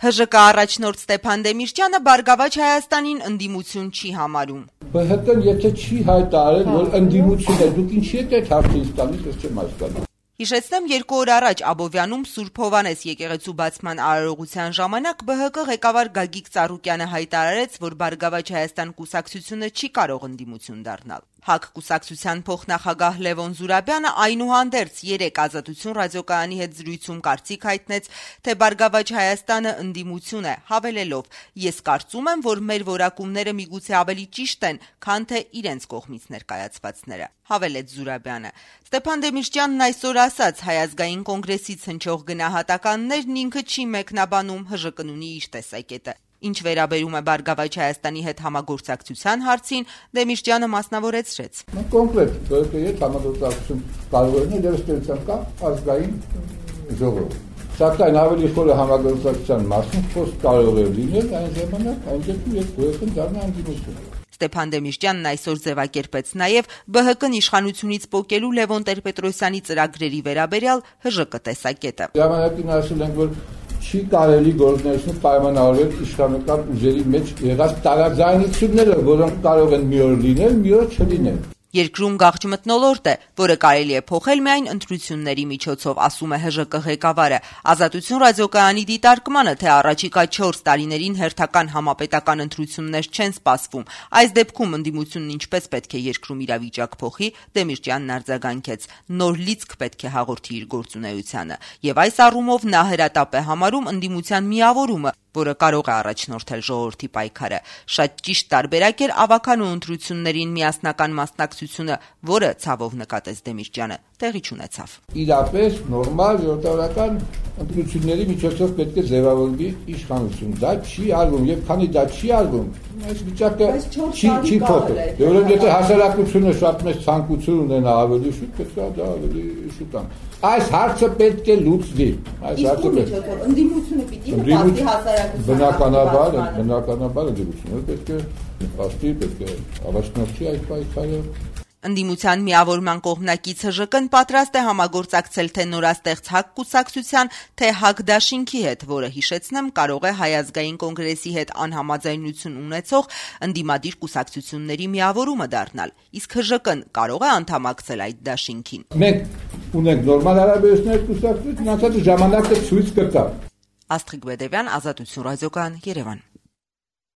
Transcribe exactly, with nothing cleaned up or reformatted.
Հ Ժ Կ առաջնորդ Ստեփան Դեմիրճյանը Բարգավաճ Հայաստանին ընդդիմություն չի համարում։ Բ Հ Կ-ն եթե չի հայտարարել, որ ընդդիմություն է, դուք ինչի եք այդ հարցը ինձ տալիս, ես չեմ հասկանում։ Հիշեցնեմ, երկու օր առաջ Աբովյանում Սուրբ Հովհաննես եկեղեցու բացման արարողության ժամանակ Բ Հ Կ ղեկավար Գագիկ Ծառուկյանը հայտարարեց, որ Բարգավաճ Հայաստան կուսակցությունը չի կարող ընդդիմություն դառնալ։ Հ Ք կուսակցության փոխնախագահ Լևոն Զուրաբյանը այնուհանդերձ երեկ Ազատություն ռադիոկայանի հետ զրույցում կարծիք հայտնեց, թե Բարգավաճ Հայաստանը ընդդիմություն է, հավելելով. «Ես կարծում եմ, որ մեր որակումները միգուցե ավելի ճիշտ են, քան թե իրենց կողմից ներկայացվածները», հավելեց Զուրաբյանը։ Ստեփան Դեմիրճյանն այսօր ասաց, Հայ ազգային կոնգրեսից հնչող գնահատականներն ինքը չի մեկնաբանում, Հ Ժ Կ-ն ունի իր տեսակետը։ Ինչ վերաբերում է Բարգավաճ Հայաստանի հետ համագործակցության հարցին, Դեմիրճյանը մասնավորեցրեց. Կոնկրետ Բ Հ Կ-ի հետ համագործակցություն կարող է լինել, ըստ կա ազգային ժողով։ Սակայն ավելի խորը համագործակցության մասին խոսք կարող է լինել այն ժամանակ, այն դեպքում, երբ Բ Հ Կ-ն դառնա ընդդիմություն։ Ստեփան Դեմիրճյանն այսօր ձևակերպեց նաև Բ Հ Կ-ն իշխանությունից պոկելու Լևոն Տեր-Պետրոսյանի ծրագրերի վերաբերյալ Հ Ժ Կ տեսակետը։ Ժամանակին ասել ենք, որ չի կարելի գործունեություն պայմանավորել իշխանական ուժերի մեջ եղած տարաձայնությունները, որոնք կարող են մի օր լինել, մի օր չլինել։ Երկրում գաղջ մթնոլորտ է, որը կարելի է փոխել միայն ընտրությունների միջոցով, ասում է Հ Ժ Կ ղեկավարը։ Ազատություն ռադիոկայանի դիտարկմանը, թե առաջիկա չորս տարիներին հերթական համապետական ընտրություններ չեն սպասվում, այս դեպքում ընդդիմությունն ինչպես պետք է երկրում իրավիճակ փոխի, Դեմիրճյանն արձագանքեց. նոր լիցք պետք է հաղորդի իր գործունեությանը, եւ այս առումով նա հրատապ է համարում ընդդիմության միավորումը, որը կարող է առաջնորդել ժողովրդի պայքարը։ Շատ ճիշտ տարբերակ էր ավականու ընտրություններին միասնական մասնակցությունը, որը ցավով նկատեց Դեմիրճյանը, տեղի չունեցավ։ Իրապես նորմալ ժողովրդական ընտրությունների միջոցով պետք է ձևավորվի իշխանություն։ Դա չի արվում, եւ քանի դա չի արվում, այս վիճակը չի չի փոխել։ Որովհետեւ եթե հասարակությունը շատ մեծ ցանկություն ունենա ավելի շուտ, պետք է դա ավելի շուտ ան։ Այս հարցը պետք է լուծվի։ Այս հարցը պետք է ընդդիմությունը պիտի նպաստի հասարակությանը։ Բնականաբար, բնականաբար ընդդիմությունը պետք է նպաստի, պետք է առաջնորդի այդ պայքարը։ Ընդդիմության միավորման կողմնակից Հ Ժ Կ-ն պատրաստ է համագործակցել թե նորաստեղծ Հ Ք կուսակցության, թե Հ Ք դաշինքի հետ, որը հիշեցնեմ կարող է Հայ ազգային կոնգրեսի հետ անհամաձայնություն ունեցող ընդդիմադիր կուսակցությունների միավորումը դառնալ, իսկ Հ Ժ Կ-ն կարող է անդամակցել այդ դաշինքին։ Մենք ունենք նորմալ հարաբերություններ կուսակցություն, ասած ժամանակը ցույց կտա։ Աստղիկ Բեդևյան, Ազատություն ռադիոկայան, Երևան։